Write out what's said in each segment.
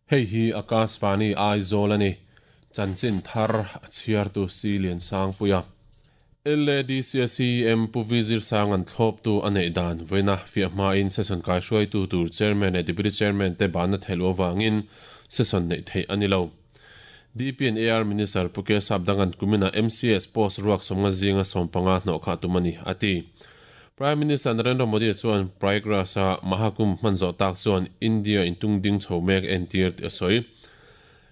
Hei hi Akashvani Aizawl a ni. Chanchin thar a chhiartu Si Liansangpuia. LADC CM Pu V Zirsanga'n thlawptu a neih dan vawiina fiah hmain session kaihruaitu tur Chairman leh Deputy Chairman te banna theih avangin session neih theih a ni lo. DP and AR Minister Pu Kesap Danga'n kuminah MCS post ruak sawmnga zinga sawmpanga hnawh khah tum a ni, a ti. Prime Minister Narendra Modi chuan Prayagraj-a Mahakumbh hman zawh tak chuan India intung ding chho mek entir tih a sawi.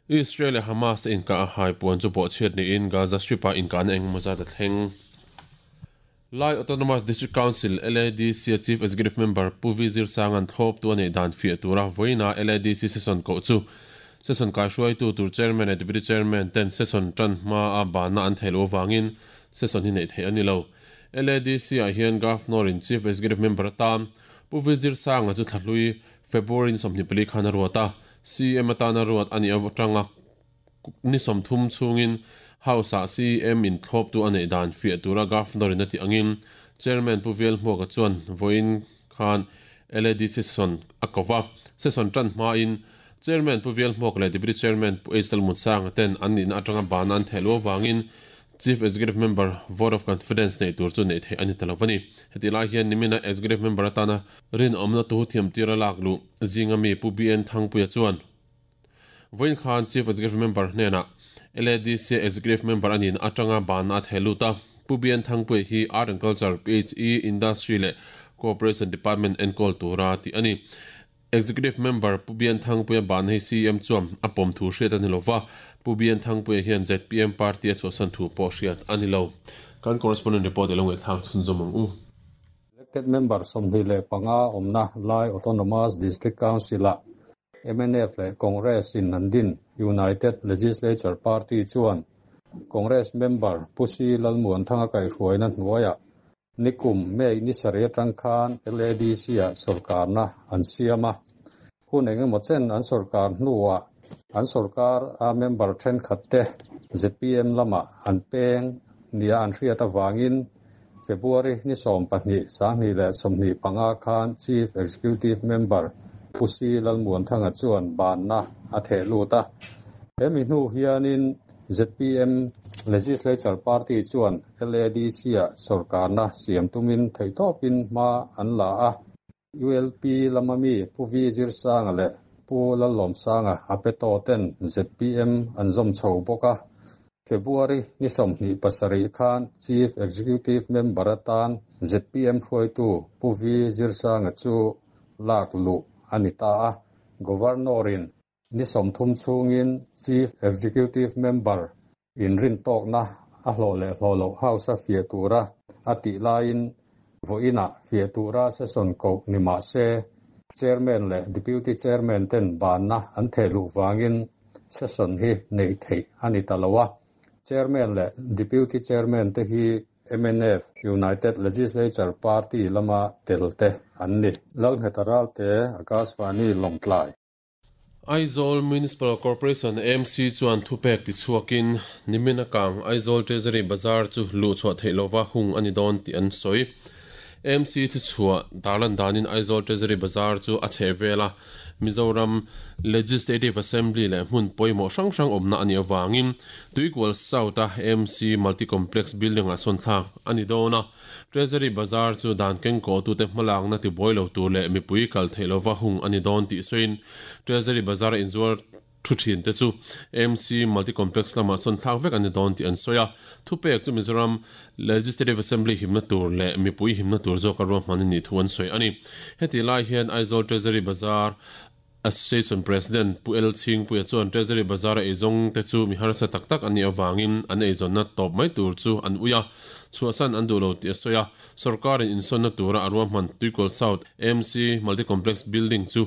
Israel leh Hamas te inkah a hai puan chu bawhchhiat niin Gaza Strip-ah inkahna engemaw zat a thleng. Lai Autonomous District Council, LADC, a Chief Executive Member Pu V Zirsanga'n thlawptu a neih dan fiah tura vawiina LADC session koh chu session kaihruaitu tur Chairman leh Deputy Chairman ten session tan hmaa banna an theih loh avangin session hi neih theih a ni lo. LADC-ah hian Governor-in Chief Executive Member atan Pu V Zirsanga chu thlahlui February ni 24 khan a ruat a, CM atana ruat a nih atanga ni 30 chhungin House-ah CM in thlawptu a neih dan fiah tura Governor-in a tih angin Chairman Pu Velhmuaka chuan vawiin khan LADC session a ko va. Session tan hmain Chairman Pu Velhmuaka leh Deputy Chairman Pu H Lalmutsanga ten an nihna atanga bana an theh luh avangin Chief Executive Member Vote of Confidence neih tur chu neih theih a ni ta lo a ni. Hetih lai hian nimina Executive Member atana rinawmna tu thiamtira lak luh zinga mi Pu BN Thangpuia chuan vawiin khan Chief Executive Member hnenah LADC Executive Member a nihna atanga banna a theh lut a. Pu BN Thangpuia hi Art and Culture, PHE, Industry leh Cooperation Department enkawl tura tih a ni. Executive Member Pu Bian Thangpuia ban hi CM chuan a pawm thu hriat a ni lova, Pu Bian Thangpuia hian zpm party a chhuahsan thu pawh hriat a ni lo. Kan correspondent report i lo ngaihthlak chhunzawm ang u. Elected Member 25 awmna Lai Autonomous District Council-ah mnf leh Congress in an din United Legislature Party chuan Congress Member Pu Si Lalmuanthanga kaihhruaina hnuaiah Nikum May ni sarih atang khan LADC-ah sawrkarna an siam a. Hun engemaw chen an sawrkar hnuah an sawrkar a member thenkhatte zpm lamah an peng nia an hriat avangin February ni 12, 2025 khan Chief Executive Member Pu Si Lalmuanthanga chuan banna a theh lut a. Hemi hnu hianin zpm Legislature Party chuan LADC-ah sawrkarna siam tumin theihtawpin hma an la a. ULP lama mi Pu V Zirsanga leh Pu Lallawmsanga a pe tawh ten zpm an zawm chho bawk a. February ni 27 khan Chief Executive Member atan zpm hruaitu Pu V Zirsanga chu lak luh a ni ta a. Governor-in Ni 30 chhungin Chief Executive Member inrintawkna a hlawh leh hlawh loh House-a fiah tura a tih laiin vawiinah fiah tura session koh ni mah se Chairman leh Deputy Chairman ten banna an theh luh vangin session hi neih theih a ni ta lo a. Chairman leh Deputy Chairman te hi mnf United Legislature Party lama tel te an ni. Lalngheta Ralte, Akashvani, Lawngtlai. Aizawl Municipal Corporation, AMC, chuan thupek tichhuakin nimin a kang Aizawl Treasury Bazar chu luhchhuah theih lova hung a ni dawn tih an sawi. AMC thuchhuah darlan danin Aizawl Treasury Bazar chu a chheh vel a, Mizoram Legislative Assembly leh hmun pawimawh hrang hrang awmna a nih avangin Tuikual South-a AMC Multi Complex Building-ah sawn thlak a ni dawn a. Treasury Bazar chu dan kengkawhtute hmalakna tibuai lo tur leh mipui kal theih lova hung a ni dawn tih sawiin Treasury Bazar a inzuar thu thin te chu AMC Multi Complex lamah sawn thlak vek a ni dawn tih an sawi a. Thupek chu Mizoram Legislative Assembly himna tur leh mipui himna tur zawka ruahman a nih thu an sawi a ni. Hetih lai hian Aizawl Treasury Bazar Association President Pu El Chhingpuia chuan Treasury Bazar-a eizawng te chu mi harsa tak tak an nih avangin an eizawnna tawp mai tur chu an ui a, chhuahsan an duh lo tih a sawi a. Sorkarin insawnna tura a ruahman Tuikual South AMC Multi Complex Building chu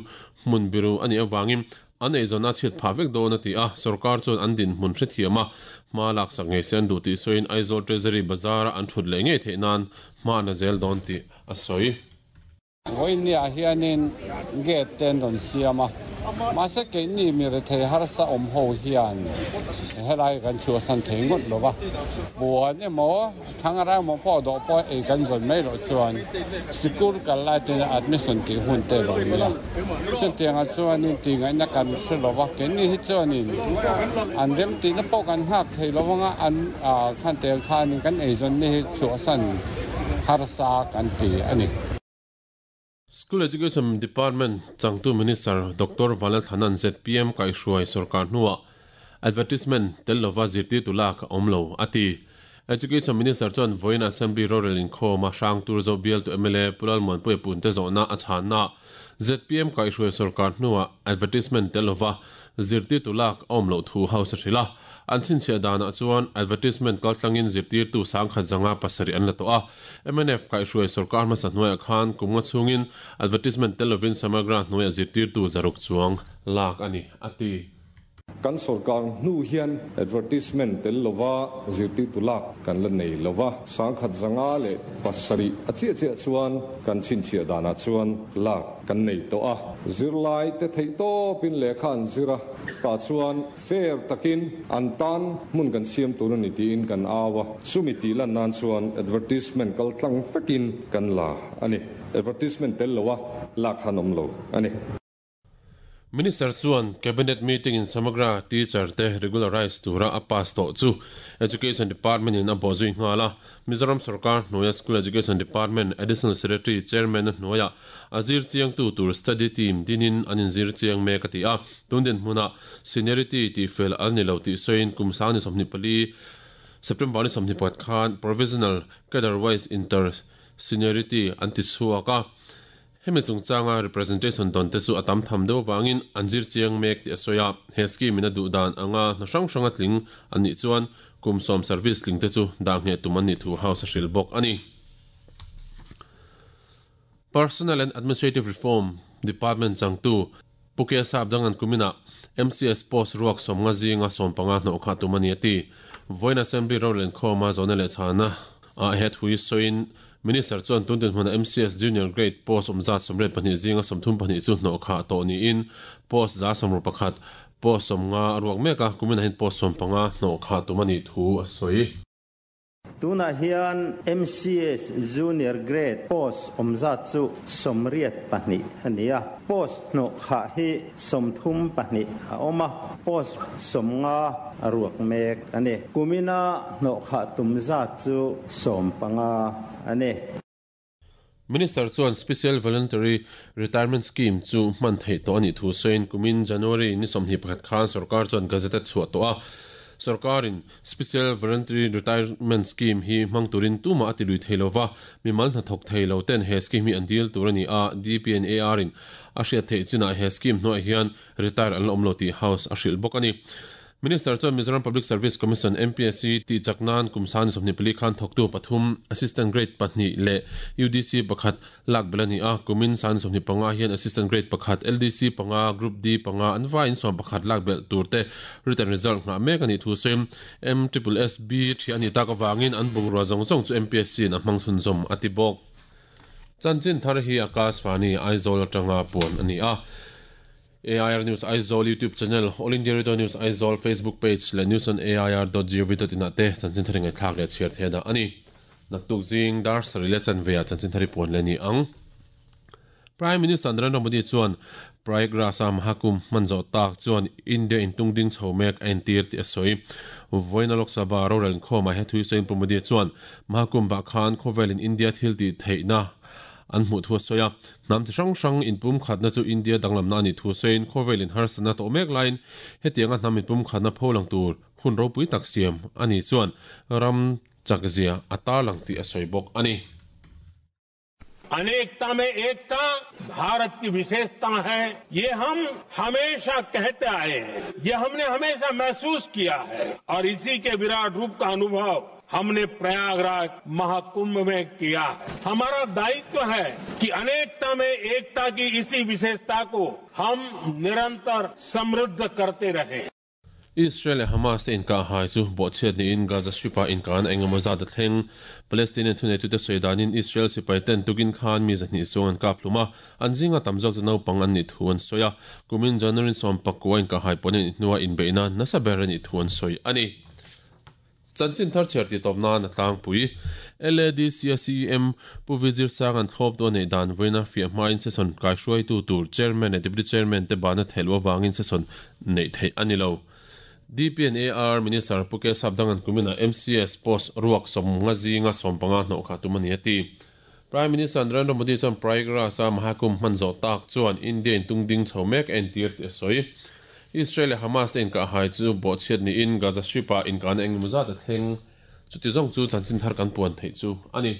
hmun biru a nih avangin an eizawnna a chhiat phah vek dawn a ti a, sorkar chuan an dinhmun hrethiam a, hma laksak ngei se an duh tih sawiin Aizawl Treasury Bazar-a an thut leh ngei theih nan hma an la zel dawn tih a sawi. Vawinia hianin gate te an rawn siam a, Mahse keini mi rethei harsa awm ho hian helai kan chhuahsan thei ngawt lo va, buan emaw thlangra emaw pawh dawh pawh ei kan zawn mai loh chuan sikul kal lai ten admission tih hun te lo nia. Chutiangah chuanin tihngaihna kan hre lo va, keini hi chuanin an remtihna pawh kan nghak thei lo anga an khan tel khanin kan eizawnna hi chhuahsan harsa kan ti a ni. School Education Department changtu Minister Doctor Vanlalthana'n zpm kaihhruai sorkar hnuah advertisement tel lova zirtirtu lak a awm lo, a ti. Education Minister chuan vawiin Assembly rorel inkhawm a hrang tur zawh bialtu mla Pu Lalmuanpuia Punte zawhna a chhanna zpm kaihhruai sorkar hnuah advertisement tel lova zirtirtu lak a awm loh thu House a hrilh a. An chhinchhiah danah chuan advertisement kaltlangin zirtirtu 17,007 an la tawh a. Mnf kaihhruai sorkar hmasa hnuaiah khan kum nga chhungin advertisement tel lovin Samagra hnuaiah zirtirtu 600 chuang lak a ni, a ti. Kan sorkar hnu hian advertisement tel lova zirtirtu lak kan la nei lova, 1507 a chiah chiah chuan kan chhinchhiah danah chuan lak kan nei tawh a. Zirlai te theih tawpin lehkha an zir a, tah chuan Fair takin an tan hmun kan siam tur a ni tiin kan au a, chumi tih lan nan chuan advertisement kal tlang vekin kan la a ni. Advertisement tel loa lak khan awm lo a ni. Minister chuan Cabinet meeting in Samagra teacher te regularise tura a pass tawh chu Education Department in a bawhzui nghal a, Mizoram sorkar hnuaia School Education Department Additional Secretary Chairman a hnuaiah a zir chiangtu tur study team dinin an inzir chiang mek a ti a. Tun dinhmunah seniority tih fel a la ni lo tih sawiin kum 24 September ni 24 khan Provisional Cadre Wise Inter Seniority an ti chhuak a. Hemi chungchanga representation dawn te chu a tam tham deuh avangin an zir chiang mek tih a sawi a. He scheme in a duh dan anga hna hrang hranga tling an nih chuan kum 10 service tling te chu dah ngheh tum an nih thu House a hrilh bawk a ni. Personnel and Administrative Reform Department changtu Pu K Sap Dangan kuminah MCS post ruak 50 zinga 15 hnawh kha tum a ni a ti. Vawiin Assembly rorel inkhawma zawhna leh chhana ah he thui sawiin Minister chuan tun dinhmuna MCS Junior Grade post awm zat 82 zinga 34 chu hnawh khah tawh niin post 161, post 50 a ruak mek a, kuminah hian post 15 hnawh khah tum a nih thu a sawi. Tunah hian MCS Junior Grade post awm zat chu 82 a ni a, post hnawh khah hi 32 a awm a, post 50 a ruak mek a ni. Kumina hnawh khah tum zat chu 15 a ni. Minister chuan Special Voluntary Retirement Scheme chu hman theih tawh a nih thu sawiin kumin January ni 21 khan sorkar chuan gazette a chhuah tawh a. Sorkarin Special Voluntary Retirement Scheme hi hmang turin tumah a ti lui thei lo va, mimal hnathawk thei lo ten he scheme hi an dil tur a ni a, DPNAR in a hriat theih chinah he scheme hnuaiah hian retire an la awm lo tih House a hrilh bawk a ni. Minister chuan Mizoram Public Service Commission, MPSC, tih chak nan kum 24 khan thawktu pathum, Assistant Grade pahnih leh UDC pakhat lak belh a ni a. Kumin 25 hian Assistant Grade pakhat, LDC panga, Group D panga an vaiin 11 lak belh tur te written result nghah mek a nih thu sawiin MSSB thiah a nih tak avangin an bungrua zawng zawng chu MPSC in a hmang chhunzawm a ti bawk. Chanchin thar hi Akashvani, Aizawl atanga puan a ni a. AIR News Aizawl YouTube channel, All India Radio News Aizawl Facebook page leh news on air dot gov dot in ah te chanchin thar ngaihthlak leh chhiar theih a dah a ni. Naktuk zing dar sarih leh chanve ah chanchin thar i puan leh a ni ang. Prime Minister Narendra Modi chuan Prayagraj-a Mahakumbh hman zawh tak chuan India intung ding chho mek a entir tih a sawi. Vawiina Lok Sabha rorel inkhawmah he thui sawiin Pu Modi chuan Mahakumbh-ah khan khawvelin India thil tih theihna an hmuh thu a sawi a. Hnam chi hrang hrang inpumkhatna chu India danglamna a nih thu sawiin khawvel inharsatna tawh mek laiin hetianga hnam inpumkhatna pholang tur hun ropui tak siam a nih chuan ram chakzia a tarlang tih a sawi bawk a ni. Anekta mein ekta Bharat ki visheshta hai, ye hum hamesha kehte aaye hain, ye humne hamesha mehsoos kiya hai aur isi ke virat roop ka anubhav हमने प्रयागराज महाकुंभ में किया है। हमारा दायित्व है कि अनेकता में एकता की इसी विशेषता को हम निरंतर समृद्ध करते रहें। Israel leh Hamas te inkahhai chu bawhchhiat niin Gaza Strip-ah inkahna eng emaw zat a thleng. Palestinian thuneitute sawi danin Israel sipai ten tukin khan mi 200 chuang an kap hlum a, an zinga tam zawk chu naupang an nih thu an sawi a. Kumin January 19 inkahhai pawh a nih hnua inbeihna nasa ber a nih thu an sawi a ni. Chanchin thar chhiar tih tawp nan a tlangpui. LADC-a CEM Pu Vizir Sanga'n thlawptu a neih dan vawiina fiah hmain session kaihruaitu tur Chairman leh Deputy Chairman te bana theih loh avangin session neih theih a ni lo. DPNAR Minister Pu K Sapdanga'n kuminah MCS post ruak 50 zinga 15 hnawh kha tum a ni a ti. Prime Minister Narendra Modi chuan Prayagraj-a Mahakumbh hman zawh tak chuan India in tung ding chho mek a entir tih a sawi. Israel leh Hamas te inkahhai chu bawhchhiat niin Gaza Strip-ah inkahna engemaw zat a thleng. Chuti zawng chu chanchin thar kan puan theih chu a ni.